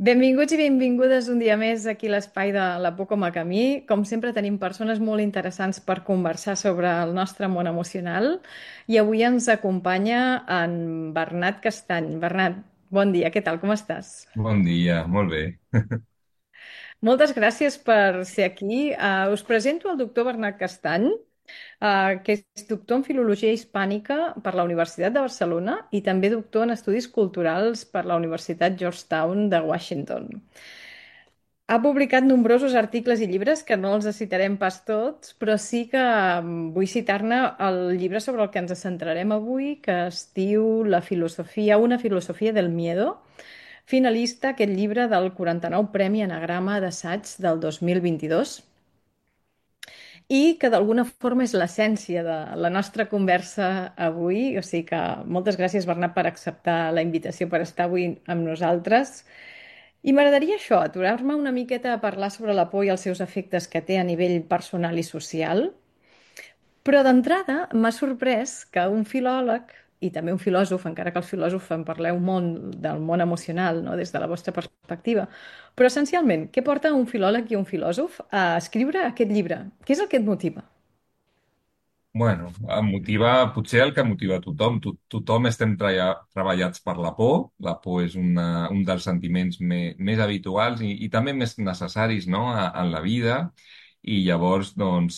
Benvinguts i benvingudes un dia més aquí a l'espai de La Por com a camí. Com sempre tenim persones molt interessants per conversar sobre el nostre món emocional i avui ens acompanya en Bernat Castany. Bernat, bon dia, què tal, com estàs? Bon dia, molt bé. Moltes gràcies per ser aquí. Us presento el doctor Bernat Castany, que és doctor en Filologia Hispànica per la Universitat de Barcelona i també doctor en Estudis Culturals per la Universitat Georgetown de Washington. Ha publicat nombrosos articles i llibres que no els citarem pas tots, però sí que vull citar-ne el llibre sobre el que ens centrarem avui, que es diu Una filosofia del miedo, finalista aquest llibre del 49 Premi Anagrama d'Assaig del 2022 i que d'alguna forma és l'essència de la nostra conversa avui. O sigui que moltes gràcies, Bernat, per acceptar la invitació per estar avui amb nosaltres. I m'agradaria això, aturar-me una miqueta a parlar sobre la por i els seus efectes que té a nivell personal i social. Però d'entrada m'ha sorprès que un filòleg i també un filòsof, encara que els filòsofs en parleu molt del món emocional, no? Des de la vostra perspectiva, però essencialment, què porta un filòleg i un filòsof a escriure aquest llibre? Què és el que et motiva? Bueno, em motiva, potser el que motiva a tothom. Tothom estem treballats per la por. La por és un dels sentiments més habituals i també més necessaris, no? En la vida. I llavors, doncs,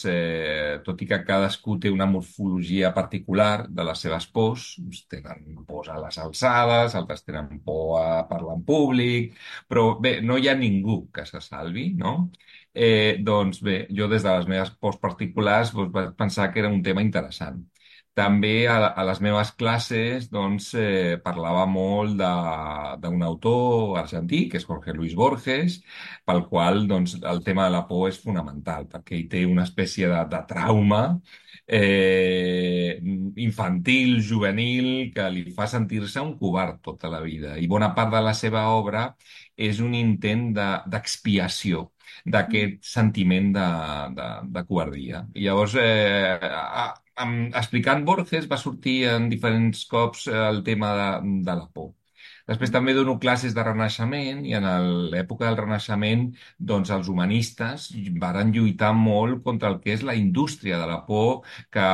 tot i que cadascú té una morfologia particular de les seves pors, uns tenen pors a les alçades, altres tenen por a parlar en públic, però bé, no hi ha ningú que se salvi, no? Doncs bé, jo des de les meves pors particulars doncs, vaig pensar que era un tema interessant. També a les meves classes doncs, parlava molt d'un autor argentí, que és Jorge Luis Borges, pel qual doncs, el tema de la por és fonamental, perquè ell té una espècie de trauma eh, infantil, juvenil, que li fa sentir-se un covard tota la vida. I bona part de la seva obra és un intent d'expiació d'aquest sentiment de covardia. I llavors, explicant Borges, va sortir en diferents cops el tema de la por. Després també dono classes de Renaixement i en l'època del Renaixement doncs els humanistes varen lluitar molt contra el que és la indústria de la por que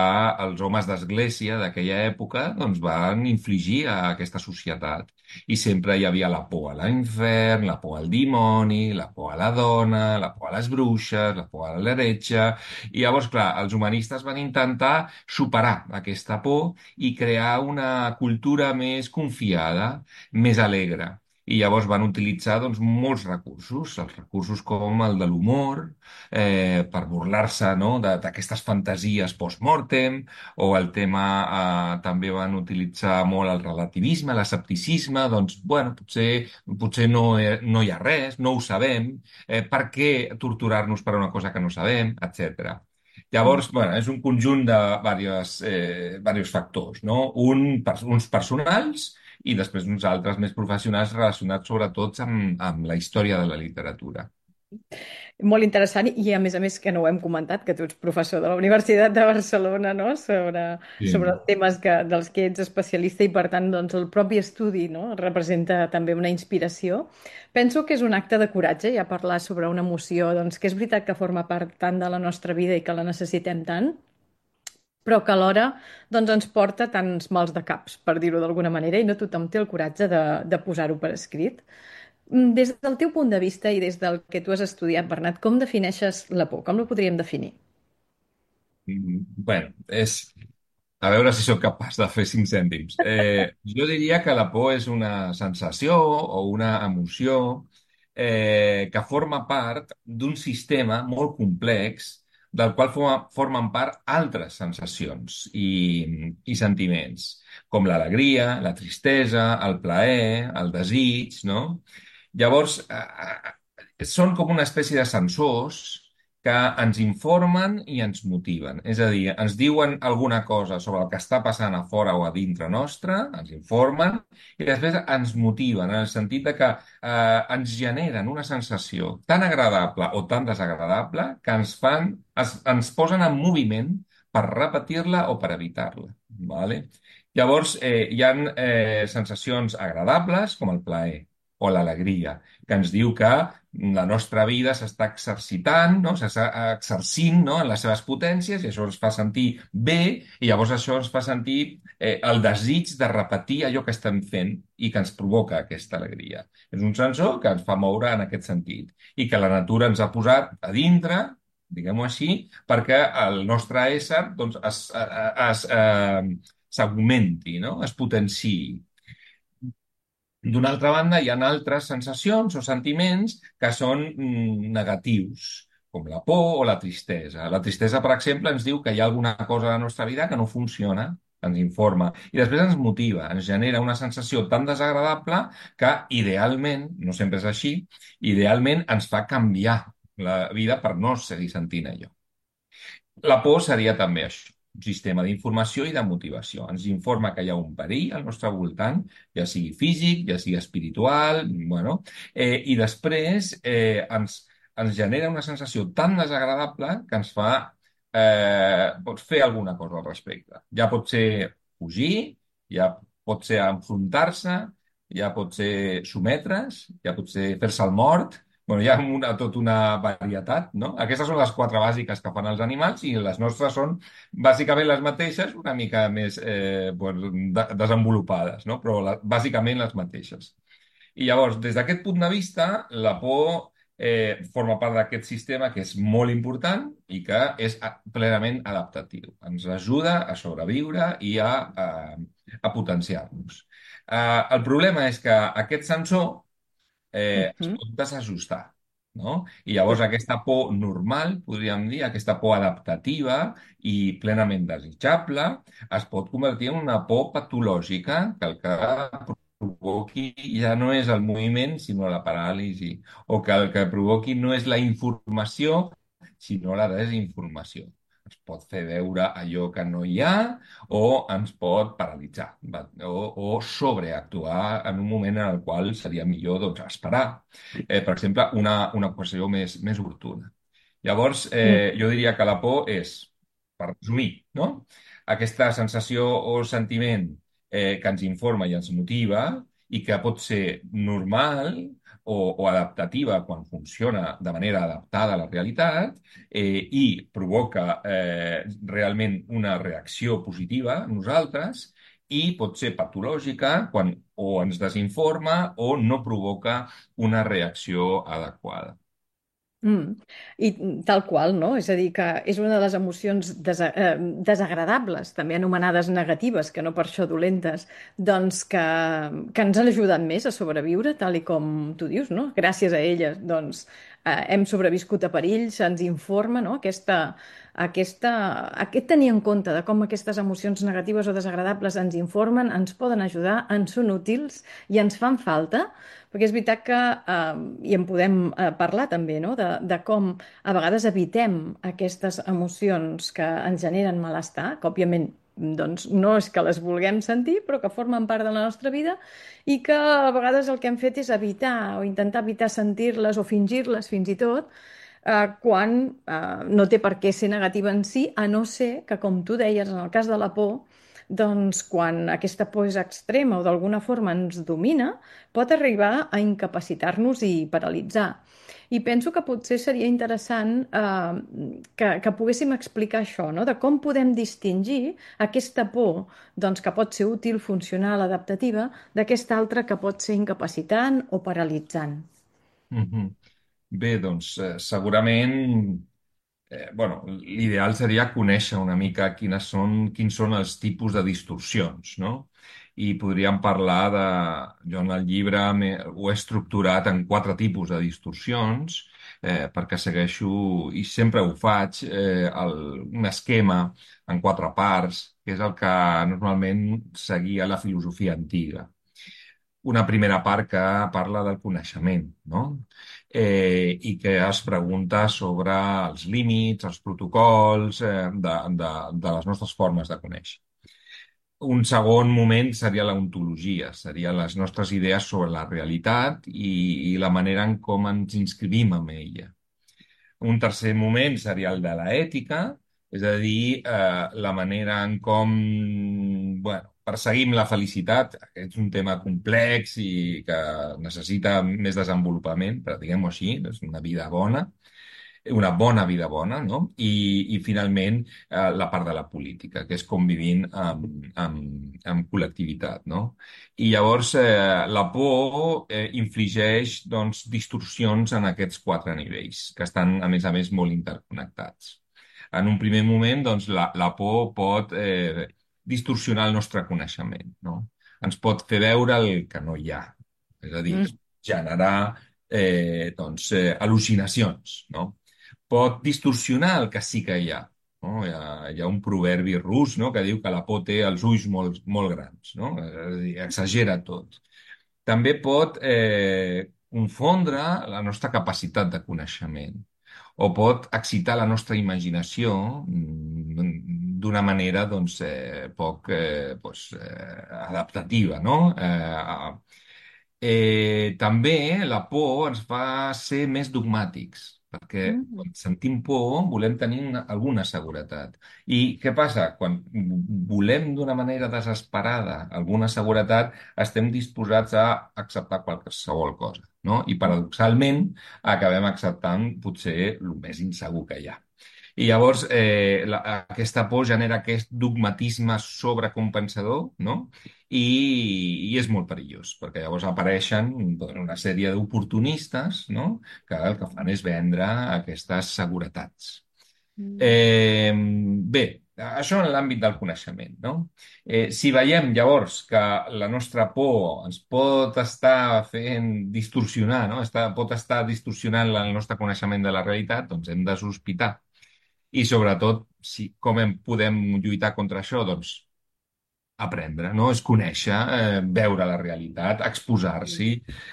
els homes d'església d'aquella època doncs van infligir a aquesta societat. I sempre hi havia la por a l'infern, la por al dimoni, la por a la dona, la por a les bruixes, la por a l'heretge. I llavors, clar, els humanistes van intentar superar aquesta por i crear una cultura més confiada, més alegre. I llavors van utilitzar doncs, molts recursos, els recursos com el de l'humor, per burlar-se no? D'aquestes fantasies post-mortem, o el tema també van utilitzar molt el relativisme, l'escepticisme, doncs, bueno, potser no hi ha res, no ho sabem, per què torturar-nos per una cosa que no sabem, etc. Llavors, bueno, és un conjunt de diversos factors, no? Uns personals i després uns altres més professionals relacionats sobretot amb la història de la literatura. Molt interessant i a més que no ho hem comentat, que tu ets professor de la Universitat de Barcelona, no? Sobre Sí. els temes dels que ets especialista i per tant doncs, el propi estudi, no? Representa també una inspiració. Penso que és un acte de coratge ja parlar sobre una emoció doncs, que és veritat que forma part tant de la nostra vida i que la necessitem tant, però que alhora doncs, ens porta tants mals de caps, per dir-ho d'alguna manera, i no tothom té el coratge de posar-ho per escrit. Des del teu punt de vista i des del que tu has estudiat, Bernat, com defineixes la por? Com la podríem definir? Bueno, és... A veure si sóc capaç de fer 5 cèntims. Jo diria que la por és una sensació o una emoció que forma part d'un sistema molt complex del qual formen part altres sensacions i sentiments, com l'alegria, la tristesa, el plaer, el desig, no? Llavors, són com una espècie de sensors que ens informen i ens motiven. És a dir, ens diuen alguna cosa sobre el que està passant a fora o a dintre nostre, ens informen, i després ens motiven, en el sentit de que ens generen una sensació tan agradable o tan desagradable que ens posen en moviment per repetir-la o per evitar-la. Vale? Llavors, hi ha sensacions agradables, com el plaer. o l'alegria, que ens diu que la nostra vida s'està exercitant, no? S'està exercint, no? En les seves potències i això ens fa sentir bé i llavors això ens fa sentir el desig de repetir allò que estem fent i que ens provoca aquesta alegria. És un sensor que ens fa moure en aquest sentit i que la natura ens ha posat a dintre, diguem-ho així, perquè el nostre ésser doncs, s'augmenti, no? Es potenciï. D'una altra banda, hi ha altres sensacions o sentiments que són negatius, com la por o la tristesa. La tristesa, per exemple, ens diu que hi ha alguna cosa a la nostra vida que no funciona, ens informa, i després ens motiva, ens genera una sensació tan desagradable que idealment, no sempre és així, idealment ens fa canviar la vida per no seguir sentint allò. La por seria també això, un sistema d'informació i de motivació. Ens informa que hi ha un perill al nostre voltant, ja sigui físic, ja sigui espiritual, bueno, i després ens genera una sensació tan desagradable que ens fa pot fer alguna cosa al respecte. Ja pot ser fugir, ja pot ser enfrontar-se, ja pot ser sometre's, ja pot ser fer-se el mort. Bueno, hi ha tota una varietat, no? Aquestes són les quatre bàsiques que fan els animals i les nostres són bàsicament les mateixes, una mica més desenvolupades, no? Però bàsicament les mateixes. I llavors, des d'aquest punt de vista, la por forma part d'aquest sistema que és molt important i que és plenament adaptatiu. Ens ajuda a sobreviure i a potenciar-nos. El problema és que aquest sensor es Mhm. pot desajustar, no? I llavors Sí. aquesta por normal, podríem dir, aquesta por adaptativa i plenament desitjable, es pot convertir en una por patològica que el que provoqui ja no és el moviment, sinó la paràlisi, o que el que provoqui no és la informació, sinó la desinformació. Ens pot fer veure allò que no hi ha o ens pot paralitzar o sobreactuar en un moment en el qual seria millor doncs, esperar. Per exemple, una qüestió més oportuna. Llavors, Mm. jo diria que la por és, per resumir, no? Aquesta sensació o sentiment que ens informa i ens motiva i que pot ser normal o adaptativa quan funciona de manera adaptada a la realitat i provoca realment una reacció positiva en nosaltres i pot ser patològica quan o ens desinforma o no provoca una reacció adequada. Mm. I tal qual, no? És a dir, que és una de les emocions desagradables, també anomenades negatives, que no per això dolentes, doncs que ens han ajudat més a sobreviure, tal i com tu dius, no? Gràcies a elles, doncs, hem sobreviscut a perills, ens informa, no? Aquest tenir en compte de com aquestes emocions negatives o desagradables ens informen, ens poden ajudar, ens són útils i ens fan falta, perquè és veritat que, i en podem parlar també, no? De com a vegades evitem aquestes emocions que ens generen malestar, que òbviament doncs, no és que les vulguem sentir, però que formen part de la nostra vida i que a vegades el que hem fet és evitar o intentar evitar sentir-les o fingir-les fins i tot, quan no té per què ser negativa en si, a no ser que, com tu deies, en el cas de la por, doncs quan aquesta por és extrema o d'alguna forma ens domina, pot arribar a incapacitar-nos i paralitzar. I penso que potser seria interessant que poguéssim explicar això, no? De com podem distingir aquesta por doncs, que pot ser útil, funcional, adaptativa, d'aquesta altra que pot ser incapacitant o paralitzant. Mhm. Bé, doncs segurament bueno, l'ideal seria conèixer una mica quins són els tipus de distorsions, no? I podríem parlar de... Jo en el llibre ho he estructurat en quatre tipus de distorsions perquè segueixo, i sempre ho faig, un esquema en quatre parts, que és el que normalment seguia la filosofia antiga. Una primera part que parla del coneixement, no? I que es pregunta sobre els límits, els protocols de les nostres formes de conèixer. Un segon moment seria l'ontologia, serien les nostres idees sobre la realitat i la manera en com ens inscrivim en ella. Un tercer moment seria el de l'ètica, és a dir, la manera en com, bueno, perseguim la felicitat. Aquest és un tema complex i que necessita més desenvolupament, però diguem-ho així, és una vida bona, una bona vida bona, no? I finalment, la part de la política, que és com vivint amb col·lectivitat, no? I llavors, la por infligeix, doncs, distorsions en aquests quatre nivells, que estan, a més, molt interconnectats. En un primer moment, doncs, la por pot distorsionar el nostre coneixement, no? Ens pot fer veure el que no hi ha, és a dir, Mm, generar doncs, al·lucinacions, no? Pot distorsionar el que sí que hi ha. No? Hi ha un proverbi rus, no? Que diu que la por té els ulls molt, molt grans, no? És a dir, exagera tot. També pot confondre la nostra capacitat de coneixement o pot excitar la nostra imaginació d'una manera doncs, poc adaptativa, no? També la por ens fa ser més dogmàtics, perquè mm, quan sentim por volem tenir alguna seguretat. I què passa? Quan volem d'una manera desesperada alguna seguretat, estem disposats a acceptar qualsevol cosa, no? I paradoxalment acabem acceptant potser el més insegur que hi ha. I llavors aquesta por genera aquest dogmatisme sobrecompensador, no? I és molt perillós, perquè llavors apareixen doncs, una sèrie d'oportunistes, no? Que el que fan és vendre aquestes seguretats. mm, Bé, això en l'àmbit del coneixement, no? Si veiem llavors que la nostra por ens pot estar fent distorsionar, no? Pot estar distorsionant el nostre coneixement de la realitat, doncs hem de sospitar. I sobretot, com podem lluitar contra això? Doncs aprendre, no? És conèixer, veure la realitat, exposar-s'hi.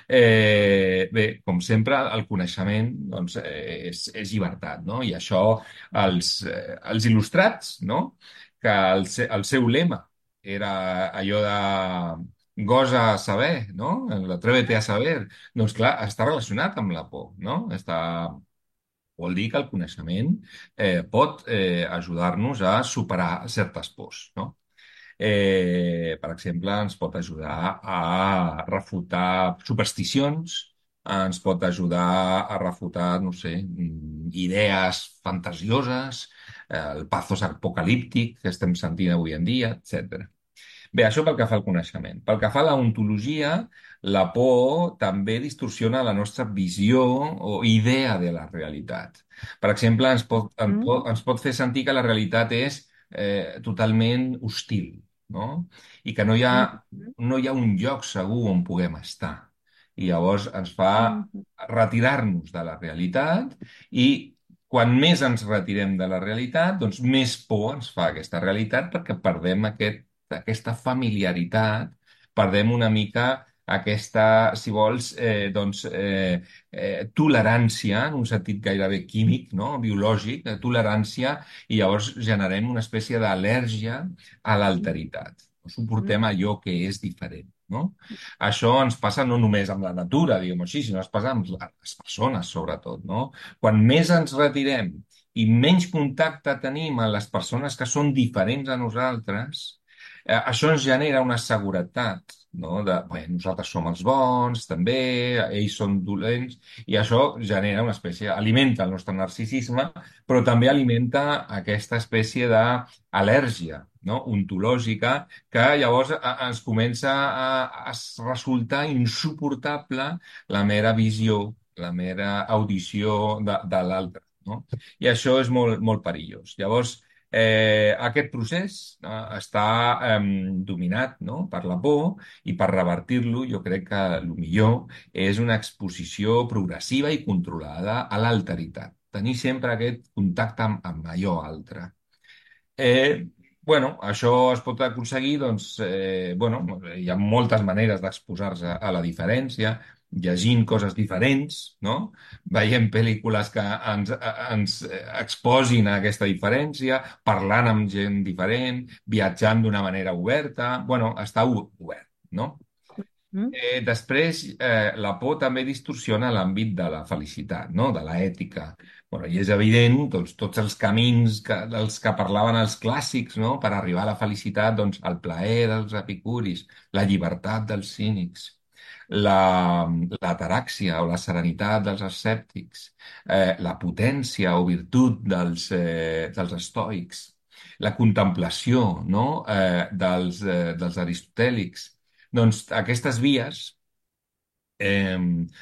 Bé, com sempre, el coneixement doncs, és llibertat, no? I això els il·lustrats, no? Que el seu lema era allò de gosa saber, no? L'atrévete a saber. Doncs clar, està relacionat amb la por, no? Vol dir que el coneixement pot ajudar-nos a superar certes pors, no? Per exemple, ens pot ajudar a refutar supersticions, ens pot ajudar a refutar, no sé, idees fantasioses, el pathos apocalíptic que estem sentint avui en dia, etc. Bé, això pel que fa al coneixement. Pel que fa a la ontologia, la por també distorsiona la nostra visió o idea de la realitat. Per exemple, mm, ens pot fer sentir que la realitat és totalment hostil, no? I que mm, no hi ha un lloc segur on puguem estar. I llavors ens fa mm, retirar-nos de la realitat i quan més ens retirem de la realitat, doncs més por ens fa aquesta realitat perquè perdem aquesta familiaritat, perdem una mica aquesta, si vols, tolerància, en un sentit gairebé químic, no? Biològic, tolerància, i llavors generem una espècie d'al·lèrgia a l'alteritat. No suportem mm, allò que és diferent, no? Això ens passa no només amb la natura, diguem-ho així, sinó ens passa amb les persones, sobretot, no? Quan més ens retirem i menys contacte tenim amb les persones que són diferents a nosaltres, això ens genera una seguretat, no? Bé, nosaltres som els bons, també, ells són dolents, i això genera una espècie, alimenta el nostre narcisisme, però també alimenta aquesta espècie d'al·lèrgia, no? Ontològica, que llavors ens comença a resultar insuportable la mera visió, la mera audició de l'altre, no? I això és molt, molt perillós. Llavors, aquest procés està dominat, no? Per la por, i per revertir-lo jo crec que el millor és una exposició progressiva i controlada a l'alteritat. Tenir sempre aquest contacte amb allò altre. Eh, bueno, això es pot aconseguir, doncs, bueno, hi ha moltes maneres d'exposar-se a la diferència, llegint coses diferents, no? Veient pel·lícules que ens exposin a aquesta diferència, parlant amb gent diferent, viatjant d'una manera oberta, bueno, està obert, no? mm, Després, la por també distorsiona l'àmbit de la felicitat, no? De l'ètica. Bueno, i és evident, doncs, tots els camins dels que parlaven els clàssics, no?, per arribar a la felicitat, doncs, el plaer dels epicuris, la llibertat dels cínics, l'ataràxia o la serenitat dels escèptics, la potència o virtut dels estoics, la contemplació, no?, dels aristotèlics. Doncs aquestes vies eh,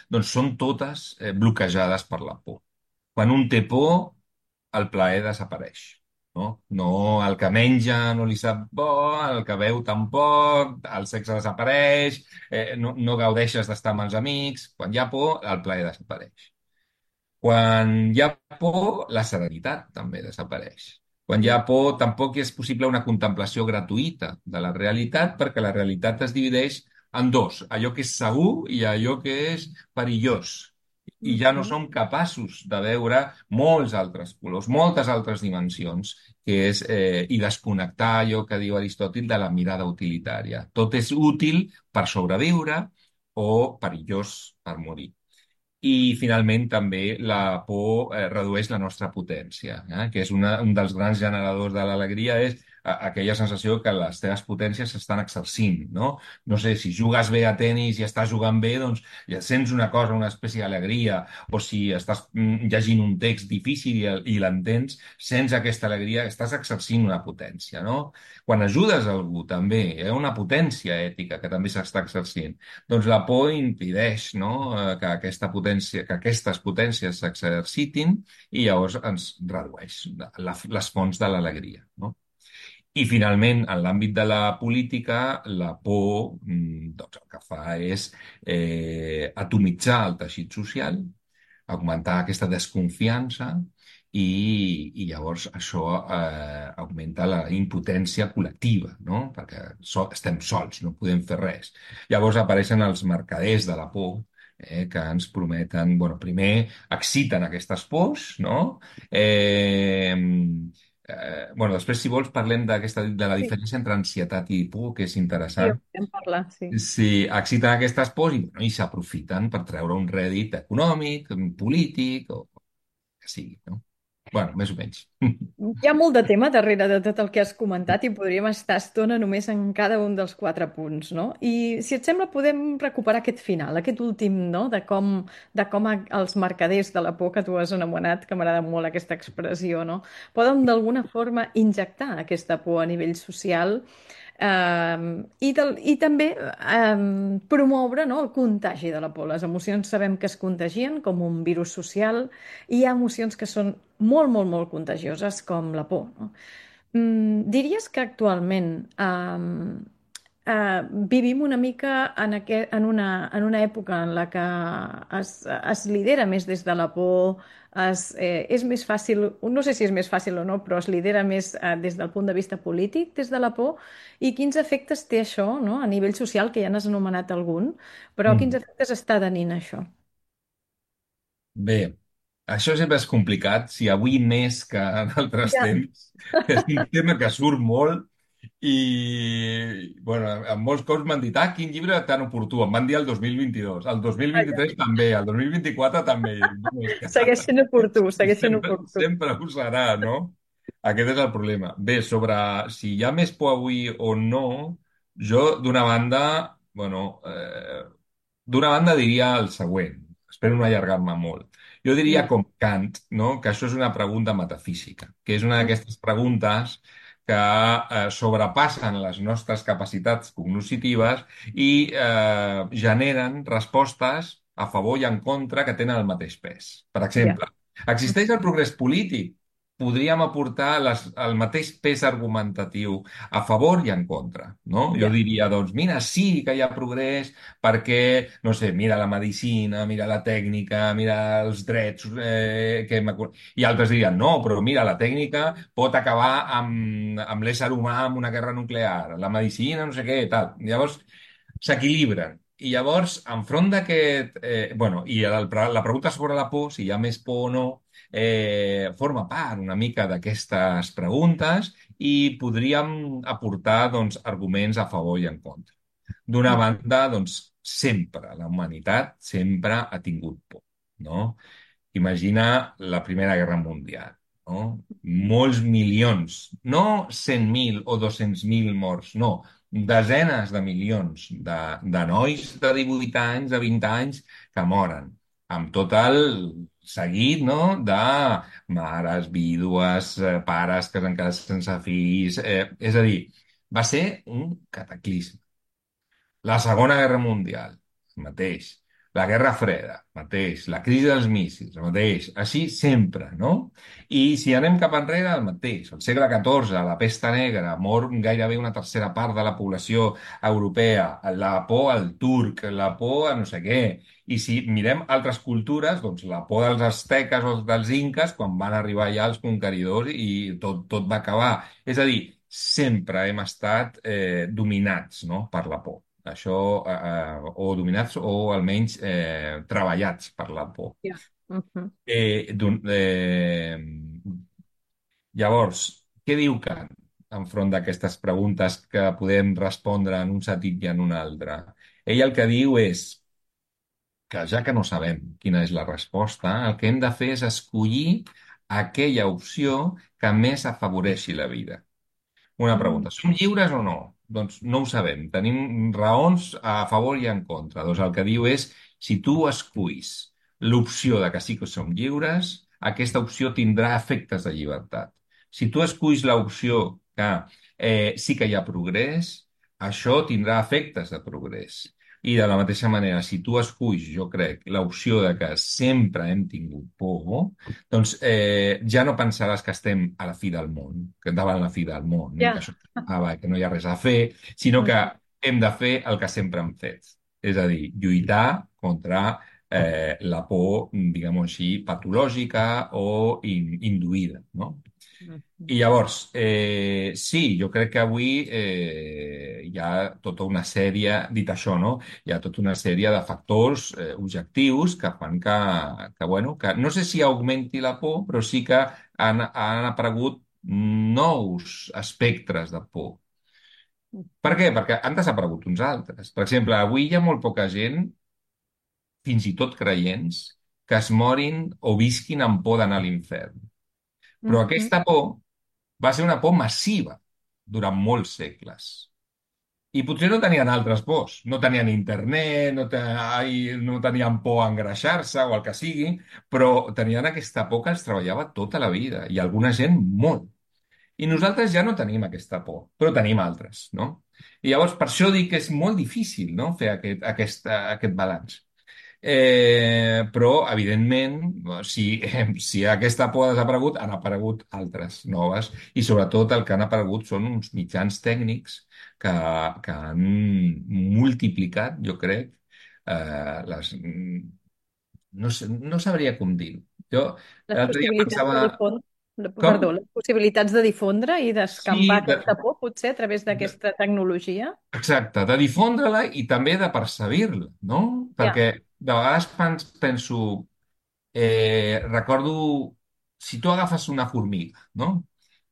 doncs són totes bloquejades per la por. Quan un té por, el plaer desapareix. No? No, el que menja no li sap bo, el que beu tampoc, el sexe desapareix, no gaudeixes d'estar amb els amics. Quan hi ha por, el plaer desapareix. Quan hi ha por, la serenitat també desapareix. Quan hi ha por, tampoc és possible una contemplació gratuïta de la realitat, perquè la realitat es divideix en dos, allò que és segur i allò que és perillós. I ja no Mhm. som capaços de veure molts altres colors, moltes altres dimensions, que és, i desconnectar allò que diu Aristòtil de la mirada utilitària. Tot és útil per sobreviure o perillós per morir. I finalment també la por redueix la nostra potència, que és un dels grans generadors de l'alegria, és aquella sensació que les teves potències s'estan exercint, no? No sé, si jugues bé a tennis i estàs jugant bé, doncs ja sents una cosa, una espècie d'alegria, o si estàs llegint un text difícil i l'entens, sents aquesta alegria, estàs exercint una potència, no? Quan ajudes a algú també, hi ha una potència ètica que també s'està exercint. Doncs la por impedeix, no?, que aquestes potències s'exercitin i llavors ens redueix les fonts de l'alegria, no? I finalment, en l'àmbit de la política, la por doncs el que fa és atomitzar el teixit social, augmentar aquesta desconfiança i llavors això augmenta la impotència col·lectiva, no? Perquè estem sols, no podem fer res. Llavors apareixen els mercaders de la por, que ens prometen, bueno, primer exciten aquestes pors, no? Bueno, després, si vols, parlem de la Sí, diferència entre ansietat i por, que és sí, ho interessant. podem parlar, sí. Sí, exciten aquestes pors i, bueno, i s'aprofiten per treure un rèdit econòmic, polític, o que sigui, no? Bueno, més o menys. Hi ha molt de tema darrere de tot el que has comentat i podríem estar estona només en cada un dels quatre punts, no? I si et sembla, podem recuperar aquest final, aquest últim, no? De com els mercaders de la por que tu has anomenat, que m'agrada molt aquesta expressió, no? Poden d'alguna forma injectar aquesta por a nivell social i també promoure, no, el contagi de la por. Les emocions sabem que es contagien com un virus social i hi ha emocions que són molt, molt, molt contagioses com la por, no? Diries que actualment vivim una mica en una època en la que es lidera més des de la por, és més fàcil, no sé si és més fàcil o no, però es lidera més des del punt de vista polític, des de la por, i quins efectes té això, no? A nivell social, que ja n'has anomenat algun, però quins Mm. efectes està tenint això? Bé, això sempre és complicat, si avui més que en altres Ja, temps. És un tema que surt molt i, bueno, en molts cops m'han dit, quin llibre tan oportú. Em van dir el 2022, el vaja. 2023 també, el 2024 també. I dic, "No, és que Segueix sent oportú, segueix sent sempre, oportú. sempre ho serà, no?" Aquest és el problema. Bé, sobre si hi ha més por avui o no, jo, d'una banda, bueno, d'una banda diria el següent, espero no allargar-me molt. Jo diria Ja, com Kant, no?, que això és una pregunta metafísica, que és una mm, d'aquestes preguntes que sobrepassen les nostres capacitats cognoscitives i generen respostes a favor i en contra que tenen el mateix pes. Per ja, exemple, existeix el progrés polític? Podríem aportar el mateix pes argumentatiu a favor i en contra, no? Jo ja, diria, doncs, mira, sí que hi ha progrés perquè, no sé, mira la medicina, mira la tècnica, mira els drets I altres dirien, no, però mira, la tècnica pot acabar amb l'ésser humà amb una guerra nuclear, la medicina, no sé què, tal. Llavors, s'equilibren. I llavors, enfront d'aquest... bueno, i la pregunta sobre la por, si hi ha més por o no, forma part una mica d'aquestes preguntes i podríem aportar, doncs, arguments a favor i en contra. D'una mm, banda, doncs, sempre, la humanitat sempre ha tingut por, no? imagina la Primera Guerra Mundial, no? Molts milions, no 100.000 o 200.000 morts, no, desenes de milions de nois de 18 anys, de 20 anys, que moren, amb tot el seguit, no?, de mares, vídues, pares que s'han quedat sense fills, és a dir, va ser un cataclisme. La Segona Guerra Mundial, el mateix. La Guerra Freda, mateix. La crisi dels míssils, el mateix. Així sempre, no? I si anem cap enrere, el mateix. El segle XIV, la pesta negra, mor gairebé una tercera part de la població europea. La por al turc, la por a no sé què. I si mirem altres cultures, doncs la por dels asteques o dels inques quan van arribar ja els conqueridors i tot va acabar. És a dir, sempre hem estat dominats, no?, per la por. Això, o dominats o almenys treballats per la por. Ja. Mhm. Llavors, què diu Kant enfront d'aquestes preguntes que podem respondre en un sentit i en un altre? Ell el que diu és que ja que no sabem quina és la resposta, el que hem de fer és escollir aquella opció que més afavoreixi la vida. Una Mm. pregunta. Som lliures o no? Doncs no ho sabem. Tenim raons a favor i en contra. Doncs el que diu és, si tu esculls l'opció de que sí que som lliures, aquesta opció tindrà efectes de llibertat. Si tu esculls l'opció que sí que hi ha progrés, això tindrà efectes de progrés. I de la mateixa manera, si tu esculls, jo crec, l'opció de que sempre hem tingut por, doncs ja no pensaràs que estem a la fi del món, que davant la fi del món, i que Ja. això que no hi ha res a fer, sinó que Mhm. hem de fer el que sempre hem fet. És a dir, lluitar contra la por, diguem-ho així, patològica o induïda, no? Mhm. I llavors, sí, jo crec que avui hi ha tota una sèrie, dit això, no? Hi ha tota una sèrie de factors objectius que fan bueno, que no sé si augmenti la por, però sí que han aparegut nous espectres de por. Per Mhm. què? Perquè han desaparegut uns altres. Per exemple, avui hi ha molt poca gent, fins i tot creients, que es morin o visquin amb por d'anar a l'infern. Però Mhm. aquesta por va ser una por massiva durant molts segles. I potser no tenien altres pors. No tenien internet, no tenien por a engreixar-se o el que sigui, però tenien aquesta por que els treballava tota la vida i alguna gent molt. I nosaltres ja no tenim aquesta por, però tenim altres, no? I llavors per això dic que és molt difícil, no?, fer aquest balanç. Però, evidentment, si aquesta por ha desaparegut, han aparegut altres noves i, sobretot, el que han aparegut són uns mitjans tècnics que, que han multiplicat, jo crec, no sé, no sabria com dir-ho. Jo Les l'altre dia possibilitats de pensava... difondre, Com? perdó, les possibilitats de difondre i Sí, d'escampar aquesta por, potser, a través d'aquesta tecnologia. exacte, de difondre-la i també de percebir-la, no? Ja. Perquè de vegades penso, recordo, si tu agafes una formiga, no?,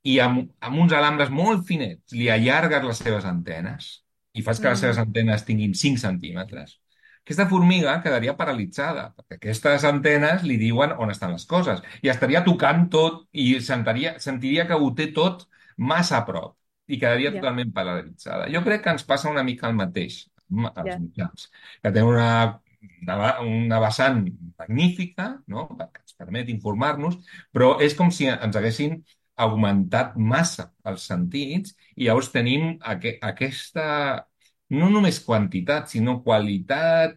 i amb uns alambres molt finets li allargues les seves antenes i fas que les seves Mm. antenes tinguin 5 centímetres, aquesta formiga quedaria paralitzada, perquè aquestes antenes li diuen on estan les coses i estaria tocant tot i sentiria que ho té tot massa a prop i quedaria Ja, totalment paralitzada. Jo crec que ens passa una mica el mateix als ja. mitjans, que tenen una vessant magnífica, no?, que ens permet informar-nos, però és com si ens haguessin augmentat massa els sentits i llavors tenim aquesta, no només quantitat, sinó qualitat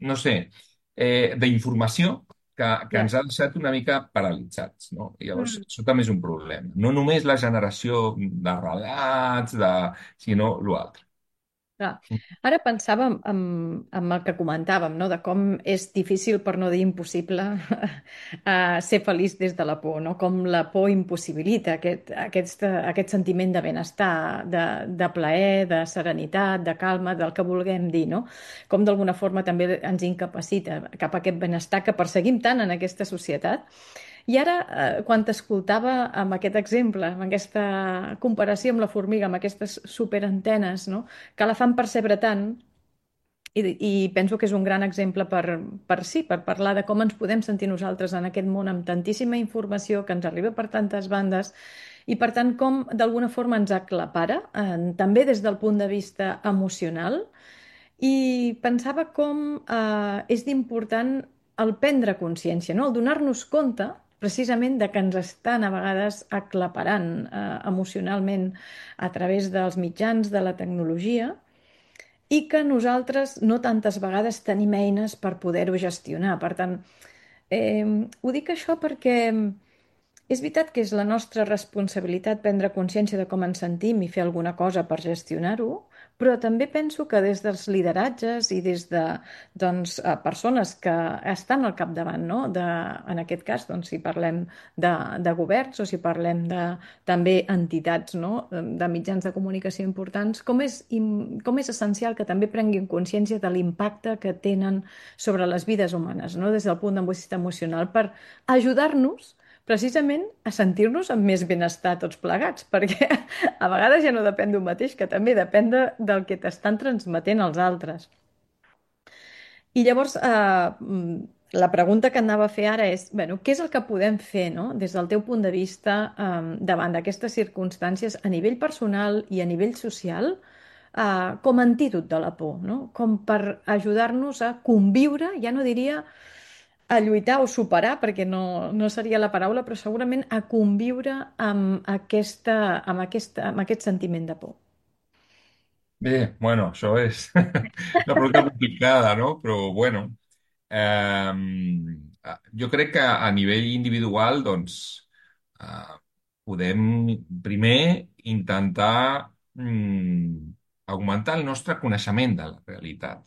no sé, d'informació que Ja. ens ha deixat una mica paralitzats, no? I llavors Mm. això també és un problema. No només la generació de relats, sinó l'altre. Clar. Ara pensava en el que comentàvem, no? De com és difícil, per no dir impossible, ser feliç des de la por, no? Com la por impossibilita aquest sentiment de benestar, de plaer, de serenitat, de calma, del que vulguem dir, no? Com d'alguna forma també ens incapacita cap a aquest benestar que perseguim tant en aquesta societat. I ara, quan t'escoltava amb aquest exemple, amb aquesta comparació amb la formiga, amb aquestes superantenes, no? Que la fan percebre tant, I penso que és un gran exemple per parlar de com ens podem sentir nosaltres en aquest món amb tantíssima informació que ens arriba per tantes bandes i per tant com d'alguna forma ens aclapara, també des del punt de vista emocional. I pensava com és d'important el prendre consciència, no? El donar-nos compte precisament de que ens estan a vegades aclaparant emocionalment a través dels mitjans de la tecnologia i que nosaltres no tantes vegades tenim eines per poder-ho gestionar. Per tant, ho dic això perquè és veritat que és la nostra responsabilitat prendre consciència de com ens sentim i fer alguna cosa per gestionar-ho, però també penso que des dels lideratges i des de doncs, persones que estan al capdavant, no? En aquest cas, doncs, si parlem de governs o si parlem de també entitats, no? De mitjans de comunicació importants, com és essencial que també prenguin consciència de l'impacte que tenen sobre les vides humanes, no? Des del punt de vista emocional, per ajudar-nos precisament a sentir-nos amb més benestar tots plegats, perquè a vegades ja no depèn d'un mateix, que també depèn del que t'estan transmetent els altres. I llavors, la pregunta que anava a fer ara és, bueno, què és el que podem fer, no? Des del teu punt de vista, davant d'aquestes circumstàncies a nivell personal i a nivell social, com a antídot de la por, no? Com per ajudar-nos a conviure, ja no diria a lluitar o superar, perquè no seria la paraula, però segurament a conviure amb aquest sentiment de por. Bé, bueno, això és una pregunta complicada, no? Però, bueno, jo crec que a nivell individual, doncs, eh, podem primer intentar augmentar el nostre coneixement de la realitat.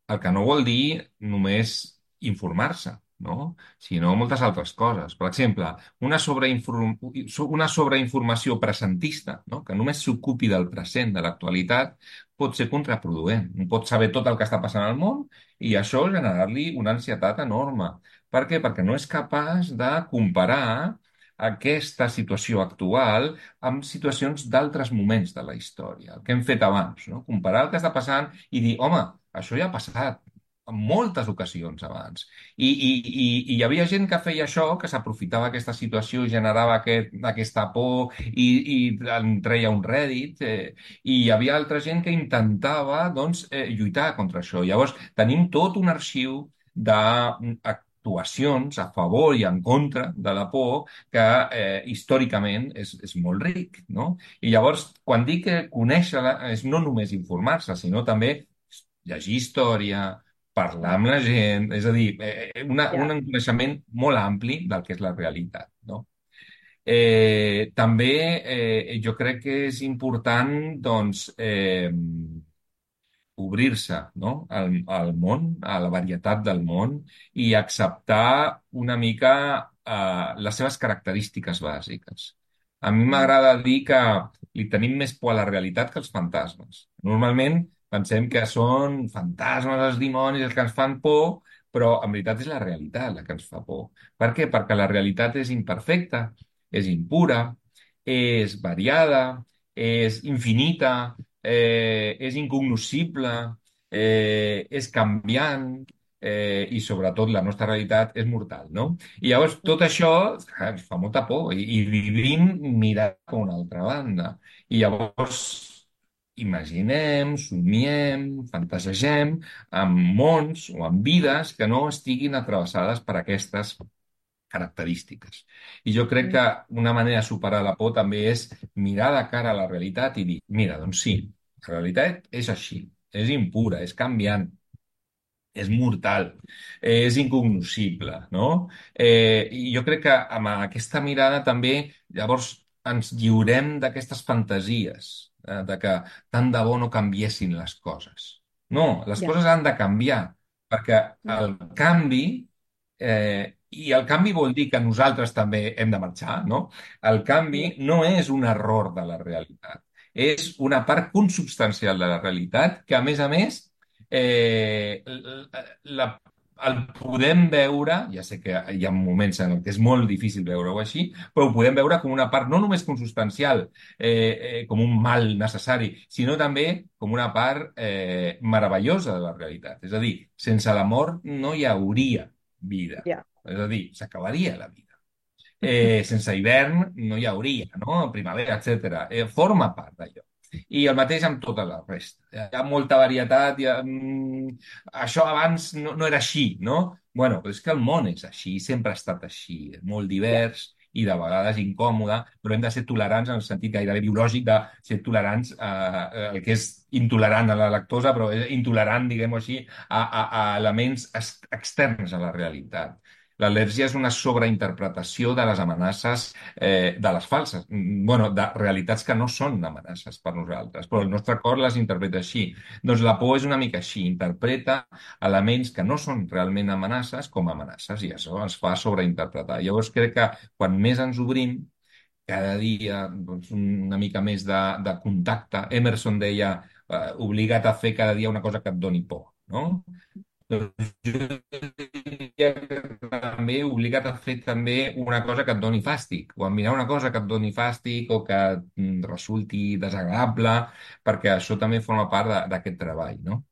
El que no vol dir només informar-se, no? Sinó moltes altres coses. Per exemple, una sobreinformació presentista, no? Que només s'ocupi del present, de l'actualitat, pot ser contraproduent. Un pot saber tot el que està passant al món i això generar-li una ansietat enorme. Per què? Perquè no és capaç de comparar aquesta situació actual amb situacions d'altres moments de la història, el que hem fet abans, no? Comparar el que està passant i dir, home, això ja ha passat en moltes ocasions abans. I hi havia gent que feia això, que s'aprofitava aquesta situació, generava aquesta por i en treia un rèdit, i hi havia altra gent que intentava doncs, lluitar contra això. Llavors, tenim tot un arxiu d'actuacions a favor i en contra de la por que històricament és molt ric, no? I llavors, quan dic que conèixer-la és no només informar-se, sinó també llegir història, parlar amb la gent, és a dir, Ja. un coneixement molt ampli del que és la realitat, no? També jo crec que és important, doncs, obrir-se, no? Al món, a la varietat del món i acceptar una mica les seves característiques bàsiques. A mi Mm. m'agrada dir que li tenim més por a la realitat que als fantasmes. Normalment pensem que són fantasmes, els dimonis, els que ens fan por, però en veritat és la realitat la que ens fa por. Per què? Perquè la realitat és imperfecta, és impura, és variada, és infinita, és incognoscible, és canviant i sobretot la nostra realitat és mortal, no? I llavors tot això ens fa molta por i vivim mirant cap a una altra banda. I llavors imaginem, somiem, fantasegem amb mons o amb vides que no estiguin atravessades per aquestes característiques. I jo crec Mm. que una manera de superar la por també és mirar de cara a la realitat i dir, mira, doncs sí, la realitat és així, és impura, és canviant, és mortal, és incognoscible, no? I jo crec que amb aquesta mirada també llavors ens lliurem d'aquestes fantasies, de que tant de bo no canviessin les coses. No, les Ja. coses han de canviar, perquè el canvi, i el canvi vol dir que nosaltres també hem de marxar, no? El Ja. canvi no és un error de la realitat, és una part consubstancial de la realitat que, a més, la el podem veure, ja sé que hi ha moments en què és molt difícil veure-ho així, però ho podem veure com una part no només consustancial, com un mal necessari, sinó també com una part meravellosa de la realitat. És a dir, sense l'amor no hi hauria vida. Ja. És a dir, s'acabaria la vida. Sense hivern no hi hauria, no? Primavera, etc. Forma part d'allò. I el mateix amb tota la resta. Hi ha molta varietat, això abans no era així, no? Bueno, però és que el món és així, sempre ha estat així, molt Ja. divers i de vegades incòmode, però hem de ser tolerants en el sentit gairebé biològic de ser tolerants el que és intolerant a la lactosa, però és intolerant, diguem-ho així, a elements externs a la realitat. L'al·lèrgia és una sobreinterpretació de les amenaces, de les falses, bueno, de realitats que no són amenaces per nosaltres, però el nostre cor les interpreta així. Doncs la por és una mica així, interpreta elements que no són realment amenaces com amenaces i això ens fa sobreinterpretar. Llavors crec que quan més ens obrim, cada dia doncs, una mica més de contacte. Emerson deia, obliga't a fer cada dia una cosa que et doni por, no? Doncs jo diria que també obliga't a fer també una cosa que et doni fàstic, o a mirar una cosa que et doni fàstic o que resulti desagradable, perquè això també forma part d'aquest treball, no?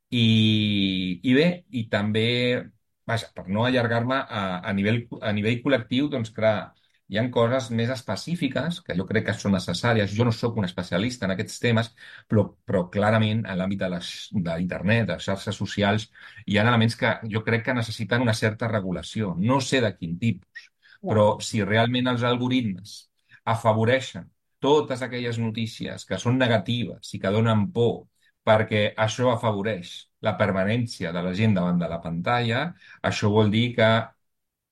I bé, i també, vaja, per no allargar-me a nivell col·lectiu, doncs clar, hi han coses més específiques que jo crec que són necessàries. Jo no sóc un especialista en aquests temes, però clarament en l'àmbit d'internet, de les xarxes socials, hi ha elements que jo crec que necessiten una certa regulació. No sé de quin tipus, Ja. però si realment els algoritmes afavoreixen totes aquelles notícies que són negatives i que donen por perquè això afavoreix la permanència de la gent davant de la pantalla, això vol dir que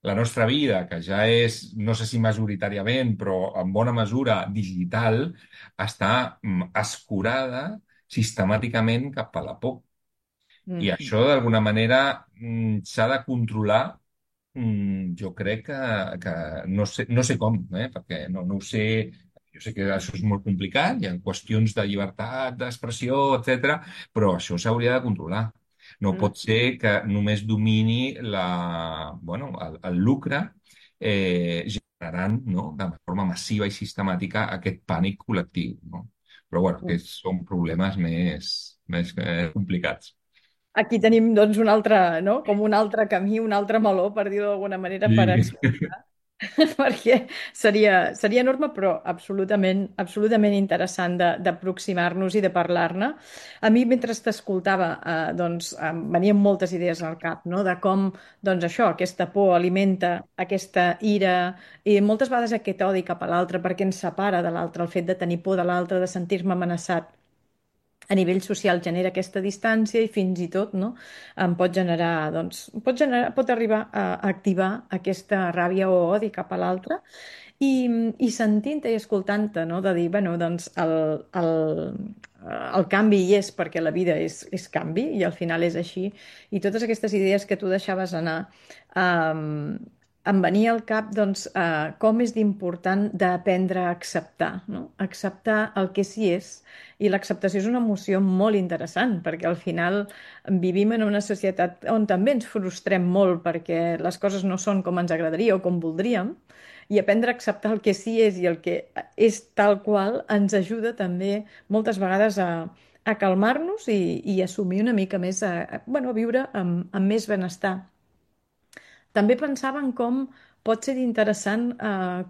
la nostra vida, que ja és, no sé si majoritàriament, però en bona mesura digital, està escurada sistemàticament cap a la por. I Mhm. això, d'alguna manera, s'ha de controlar. Jo crec que no sé com, perquè no ho sé. Jo sé que això és molt complicat, hi ha qüestions de llibertat d'expressió, etc., però això s'hauria de controlar. No Mm. pot ser que només domini bueno, el lucre, generant, no, de forma massiva i sistemàtica aquest pànic col·lectiu, no? Però bueno, que són problemes més complicats. Aquí tenim doncs un altre, no? Com un altre camí, un altre meló, per dir-ho d'alguna manera, per Sí. explorar, perquè seria enorme, però absolutament, absolutament interessant d'aproximar-nos i de parlar-ne. A mi, mentre t'escoltava, doncs, em venien moltes idees al cap, no? De com, doncs, això, aquesta por alimenta aquesta ira i moltes vegades aquest odi cap a l'altre, perquè ens separa de l'altre, el fet de tenir por de l'altre, de sentir-me amenaçat a nivell social genera aquesta distància i fins i tot, no, em pot generar, doncs, pot arribar a activar aquesta ràbia o odi cap a l'altre i, i sentint-te i escoltant-te, no, de dir, bueno, doncs el canvi hi és perquè la vida és canvi i al final és així. I totes aquestes idees que tu deixaves anar, em venia al cap doncs, com és d'important d'aprendre a acceptar, no? Acceptar el que sí és. I l'acceptació és una emoció molt interessant, perquè al final vivim en una societat on també ens frustrem molt perquè les coses no són com ens agradaria o com voldríem, i aprendre a acceptar el que sí és i el que és tal qual ens ajuda també moltes vegades a calmar-nos i assumir una mica més, bueno, a viure amb més benestar. També pensava en com pot ser interessant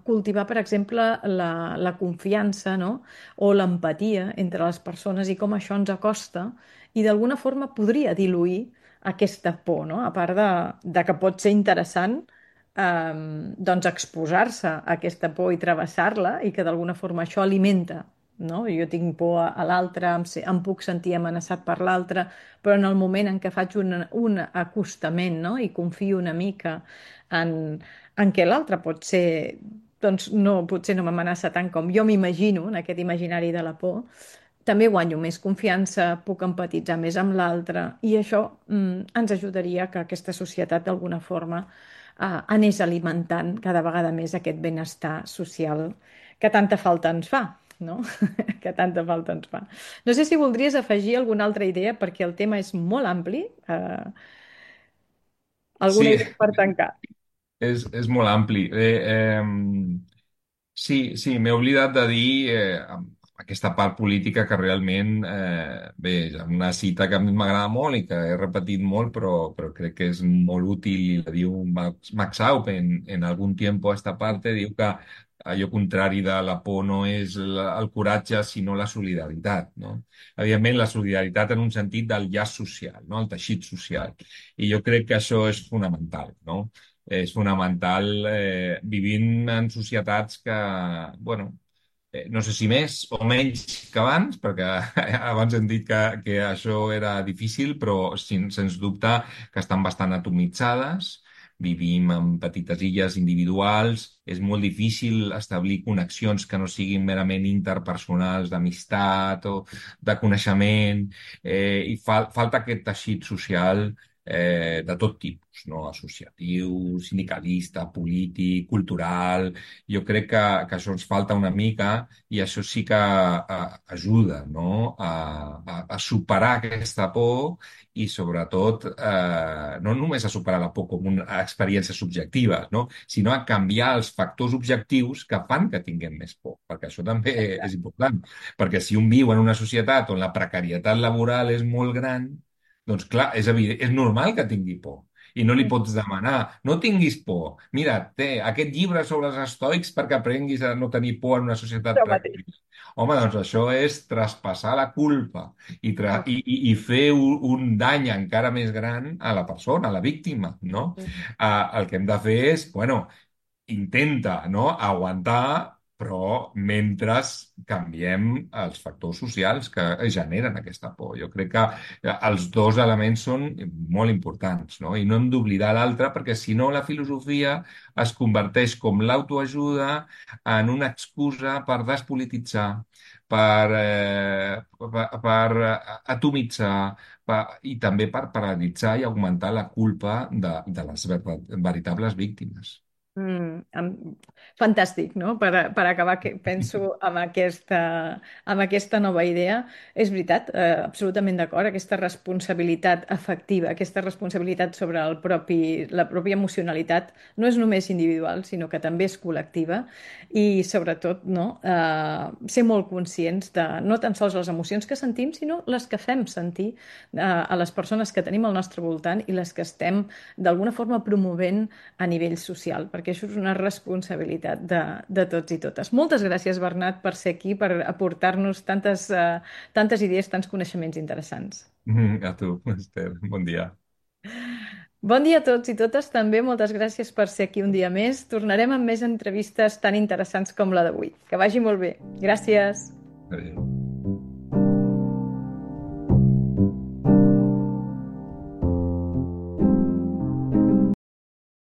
cultivar, per exemple, la confiança, no? O l'empatia entre les persones i com això ens acosta i d'alguna forma podria diluir aquesta por, no? A part de que pot ser interessant doncs exposar-se a aquesta por i travessar-la i que d'alguna forma això alimenta, no? Jo tinc por a l'altre, em puc sentir amenaçat per l'altre, però en el moment en què faig un acostament, no? I confio una mica en què l'altre pot ser, doncs no, potser no m'amenaça tant com jo m'imagino, en aquest imaginari de la por, també guanyo més confiança, puc empatitzar més amb l'altre i això ens ajudaria que aquesta societat d'alguna forma anés alimentant cada vegada més aquest benestar social que tanta falta ens fa, no? Que tanta falta ens fa. No sé si voldries afegir alguna altra idea perquè el tema és molt ampli. Alguna Sí, idea per tancar? és molt ampli. Sí, sí, m'he oblidat de dir aquesta part política que realment, bé, és una cita que a mi m'agrada molt i que he repetit molt, però crec que és molt útil i la diu Max Aup en algun tiempo a esta parte, diu que allò contrari de la por no és el coratge, sinó la solidaritat, no? Evidentment, la solidaritat en un sentit del llaç social, no? El teixit social. I jo crec que això és fonamental, no? És fonamental vivint en societats que, bueno, no sé si més o menys que abans, perquè abans hem dit que això era difícil, però sens dubte que estan bastant atomitzades. Vivim en petites illes individuals, és molt difícil establir connexions que no siguin merament interpersonals, d'amistat o de coneixement, i falta aquest teixit social de tot tipus, no? Associatiu, sindicalista, polític, cultural. Jo crec que això ens falta una mica i això sí que ajuda, no? A superar aquesta por i sobretot no només a superar la por com una experiència subjectiva, no? Sinó a canviar els factors objectius que fan que tinguem més por, perquè això també és important. Perquè si un viu en una societat on la precarietat laboral és molt gran, doncs clar, és evident, és normal que tingui por. I no li pots demanar, no tinguis por. Mira, té aquest llibre sobre els estoics perquè aprenguis a no tenir por en una societat Això mateix. precària. Home, doncs això és traspassar la culpa i fer un dany encara més gran a la persona, a la víctima, no? El que hem de fer és, bueno, intenta, no?, aguantar, però mentre canviem els factors socials que generen aquesta por. Jo crec que els dos elements són molt importants, no? I no hem d'oblidar l'altre perquè si no la filosofia es converteix com l'autoajuda en una excusa per despolititzar, per atomitzar, i també per paralitzar i augmentar la culpa de les veritables víctimes. Fantàstic, no? Per acabar, penso amb aquesta nova idea. És veritat, absolutament d'acord, aquesta responsabilitat afectiva, aquesta responsabilitat sobre la pròpia emocionalitat no és només individual, sinó que també és col·lectiva i sobretot no? Ser molt conscients de no tan sols les emocions que sentim, sinó les que fem sentir a les persones que tenim al nostre voltant i les que estem d'alguna forma promovent a nivell social, perquè això és una responsabilitat de tots i totes. Moltes gràcies, Bernat, per ser aquí, per aportar-nos tantes idees, tants coneixements interessants. A tu, Esther. Bon dia. Bon dia a tots i totes, també moltes gràcies per ser aquí un dia més. Tornarem amb més entrevistes tan interessants com la d'avui. Que vagi molt bé. Gràcies. Adéu.